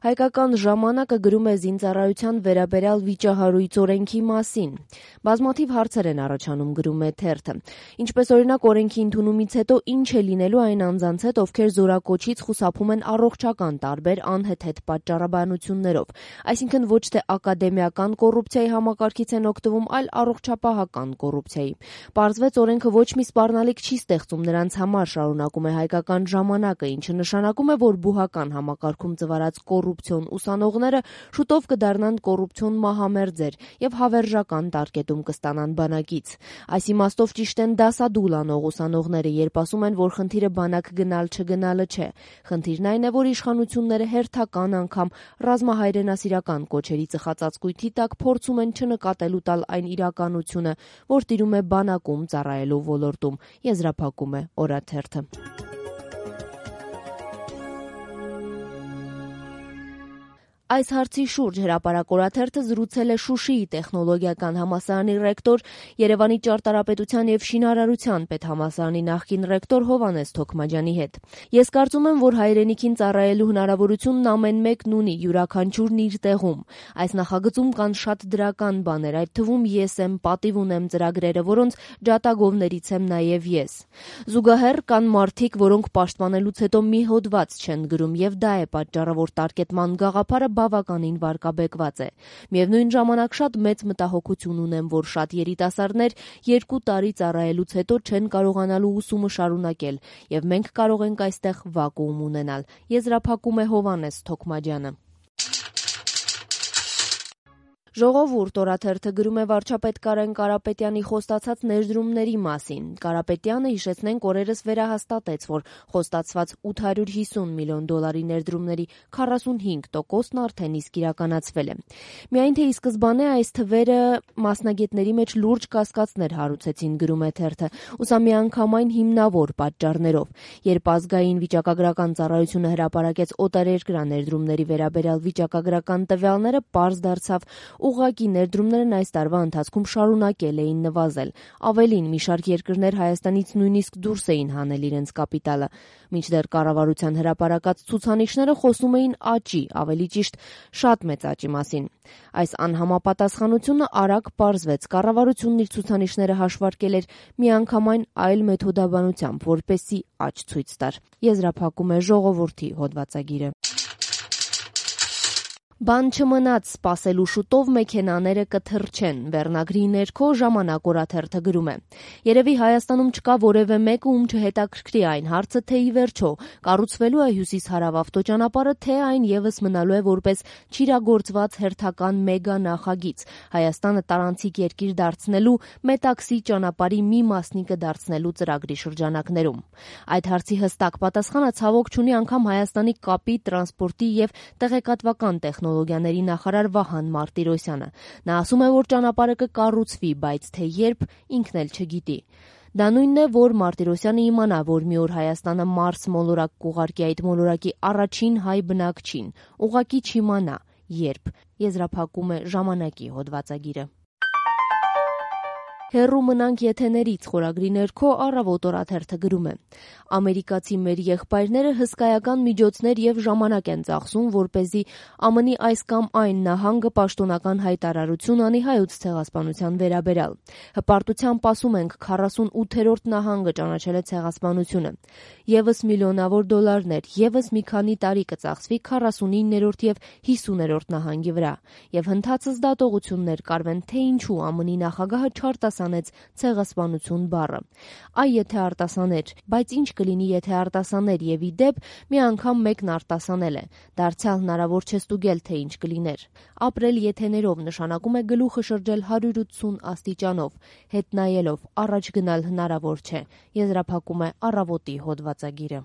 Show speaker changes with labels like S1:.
S1: Հայկական ժամանակը գրում է զինծառայության վերաբերյալ վիճահարույց օրենքի մասին։ Բազմաթիվ հարցեր են առաջանում, գրում է թերթը։ Ինչպես օրինակ օրենքի ընդունումից հետո ինչ է լինելու այն անձանց հետ, ովքեր զորակոչից խուսափում են առողջական տարբեր անհեթեթ պատճառաբանություններով, այսինքն ոչ թե ակադեմիական կոռուպցիայի համակարգից են օգտվում, այլ առողջապահական կոռուպցիայի։ Պարզվեց օրենքը ոչ մի սպառնալիք չի ստեղծում նրանց համար, շարունակում է Հայկական ժամանակը, ինչը նշանակում է, որ բուհական համակարգում ծվարած կոռուպցիոն ուսանողները շուտով կդառնան կոռուպցիոն մահամերձեր եւ հավերժական տարկետում կստանան բանակից։ Այս իմաստով ճիշտ են դասադուլ անող ուսանողները, երբ ասում են, որ խնդիրը բանակ գնալ-չգնալը չէ։ Խնդիրն այն է, որ իշխանությունները հերթական անգամ ռազմահայրենասիրական կոչերի ծխածածկույթի տակ փորձում են չնկատելու տալ այն իրականությունը, որ տիրում է բանակում ծառայելու ոլորտում, եզրափակում է օրաթերթը։ Այս հարցի շուրջ Հրապարակ օրաթերթը զրուցել է Շուշիի տեխնոլոգիական համալսարանի ռեկտոր, Երևանի ճարտարապետության եւ շինարարության պետհամալսարանի նախկին ռեկտոր Հովհաննես Թոքմաջյանի հետ։ Ես կարծում եմ, որ հայրենիքին ծառայելու հնարավորությունն ամեն մեկն ունի, յուրաքանչյուրն իր տեղում։ Այս նախագծում կան շատ դրական բաներ, այդ թվում ես եմ, պատիվ ունեմ ծրագրերը, որոնց ջատագովներից եմ նաեւ ես։ Զուգահեռ կան մարդիկ, որոնք պաշտպանելուց հետո մի հոդված չեն գրում, եւ դա է պատճառը, որ տարկետման գաղափարը բավականին վարկաբեկված է։ Միևնույն ժամանակ շատ մեծ մտահոգություն ունեմ, որ շատ երիտասարդներ 2 տարի ծառայելուց հետո չեն կարողանալու ուսումը շարունակել, եւ մենք կարող ենք այստեղ վակուում ունենալ, եզրափակում է Հովհաննես Թոքմաջյանը։ Ժողովուրդ օրաթերթը գրում է վարչապետ Կարեն Կարապետյանի խոստացած ներդրումների մասին։ Կարապետյանը, հիշեցնենք, օրերս վերահաստատեց, որ խոստացված $850 միլիոն ներդրումների 45%-ն արդեն իսկ իրականացվել է։ Միայն թե ի սկզբանե այս թվերը մասնագետների մեջ լուրջ կասկածներ հարուցեցին, գրում է թերթը, ուսամիանգամայն հիմնավոր պատճառներով։ Երբ ազգային վիճակագրական ծառայությունը հրապարակեց օտարերկրյա ներդրումների վերաբերյալ վիճակագրական տվյալները, պարզ դարձավ, ուղղակի ներդրումներն այս տարվա ընթացքում շարունակել էին նվազել։ Ավելին, մի շարք երկրներ Հայաստանից նույնիսկ դուրս էին հանել իրենց կապիտալը։ Մինչդեռ կառավարության հրապարակած ցուցանիշները խոսում էին աճի, ավելի ճիշտ շատ մեծ աճի մասին։ Այս անհամապատասխանությունը արագ պարզվեց։ Կառավարությունն իր ցուցանիշները հաշվարկել էր միանգամայն այլ մեթոդաբանությամբ, որպեսզի աճ ցույց տար, եզրափակում է Ժողովուրդի հոդվածագիրը։ Բան չմնաց, սպասելու շուտով մեքենաները կթռչեն, վերնագրի ներքո Ժամանակ օրաթերթը գրում է։ Երևի Հայաստանում չկա որևէ մեկը, ում չհետաքրքրի այն հարցը, թե ի վերջո կառուցվելու է հյուսիս-հարավ ավտոճանապարհը, թե այն եւս մնալու է որպես չիրագործված հերթական մեգա նախագիծ, Հայաստանը տարանցիկ երկիր դարձնելու, մետաքսի ճանապարհի մի մասնիկը դարձնելու ծրագրի շրջանակներում։ Այդ հարցի հստակ պատասխանը ցավոք չունի անգամ Հայաստանի կապի, տրանսպորտի եւ տեղեկատվական տեխնոլոգիաների նախարար Վահան Մարտիրոսյանը։ Նա ասում է, որ ճանապարհը կկառուցվի, բայց թե երբ, ինքն էլ չգիտի։ Դա նույնն է, որ Մարտիրոսյանը իմանա, որ մի օր Հայաստանը Մարս մոլորակ կուղարկի, այդ մոլորակի առաջին հայ բնակչին, ուղղակի չիմանա երբ, եզրափակում է Ժամանակի հոդվածագիրը։ Հեռու մնանք եթեներից խորագրի ներքո Առավոտ օրաթերթը գրում է. Ամերիկացի մեր եղբայրները հսկայական միջոցներ եւ ժամանակ են ծախսում, որպեսզի ԱՄՆ-ի այս կամ այն նահանգը պաշտոնական հայտարարություն անի Հայոց ցեղասպանության վերաբերյալ։ Հպարտությամբ ասում ենք 48-րդ նահանգը ճանաչել է ցեղասպանությունը։ Եվս միլիոնավոր դոլարներ, եվս մի քանի տարի կծախսվի 49-րդ եւ 50-րդ նահանգի վրա։ Եվ հնդածս դատողություններ կարվեն, թե ինչու ԱՄՆ-ի նախագահը չարտասանեց ցեղասպանություն բառը։ Այ եթե արտասաներ, բայց ինչ կլինի, եթե արտասաներ եւ ի դեպ մի անգամ մեկն արտասանել է։ Դարձյալ հնարավոր չէ ստուգել, թե ինչ կլիներ։ Ապրել եթեներով նշանակում է գլուխը շրջել 180 աստիճանով, հետ նայելով, առաջ գնալ հնարավոր չէ, եզրափակում է Առավոտի հոդվածագիրը։